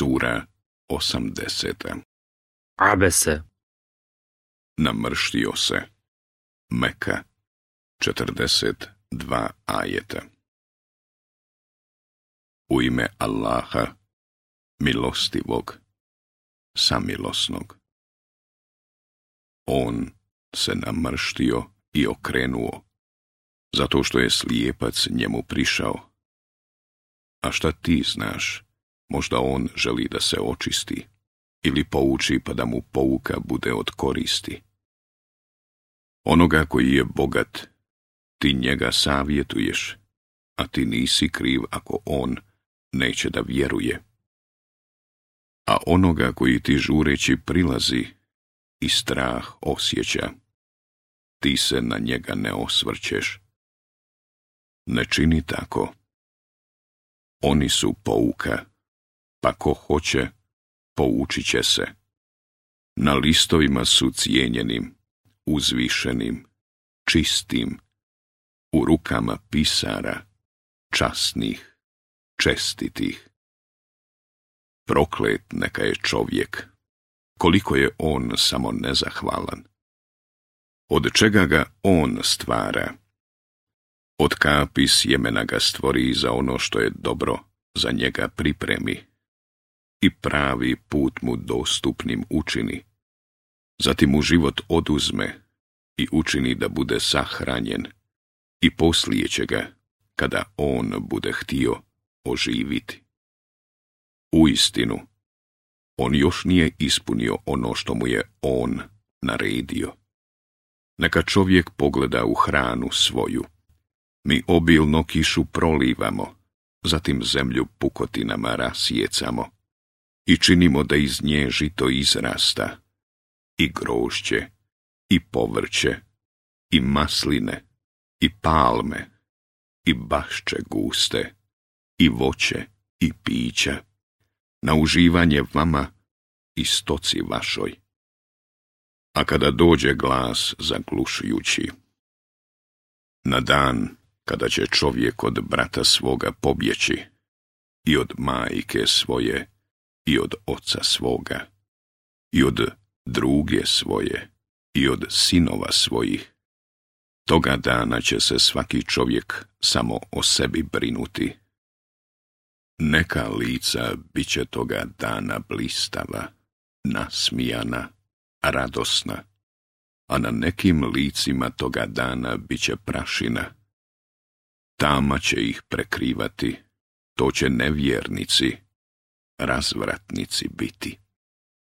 Sura 80. Abese. Namrštio se. Meka 42 ajeta. U ime Allaha, milostivog, samilosnog. On se namrštio i okrenuo, zato što je slijepac njemu prišao. A šta ti znaš? Možda on želi da se očisti, ili pouči pa da mu pouka bude od koristi. Onoga koji je bogat, ti njega savjetuješ, a ti nisi kriv ako on neće da vjeruje. A onoga koji ti žureći prilazi i strah osjeća, ti se na njega ne osvrćeš. Ne čini tako. Oni su pouka, pa ko hoće, poučit će se. Na listovima su cijenjenim, uzvišenim, čistim, u rukama pisara, časnih, čestitih. Proklet neka je čovjek, koliko je on samo nezahvalan. Od čega ga on stvara? Od kapi sjemena ga stvori za ono što je dobro, za njega pripremi i pravi put mu dostupnim učini. Zatim mu život oduzme i učini da bude sahranjen i poslije će ga, kada on bude htio, oživiti. Uistinu, on još nije ispunio ono što mu je on naredio. Neka čovjek pogleda u hranu svoju. Mi obilno kišu prolivamo, zatim zemlju pukotinama rasijecamo i činimo da iz nje žito izrasta, i grožđe, i povrće, i masline, i palme, i bašče guste, i voće, i pića, na uživanje vama i stoci vašoj. A kada dođe glas zaglušujući, na dan kada će čovjek od brata svoga pobjeći, i od majke svoje, i od oca svoga, i od druge svoje, i od sinova svojih, toga dana će se svaki čovjek samo o sebi brinuti. Neka lica bit će toga dana blistava, nasmijana, radosna, a na nekim licima toga dana bit će prašina. Tama će ih prekrivati, to će nevjernici, razvratnici biti.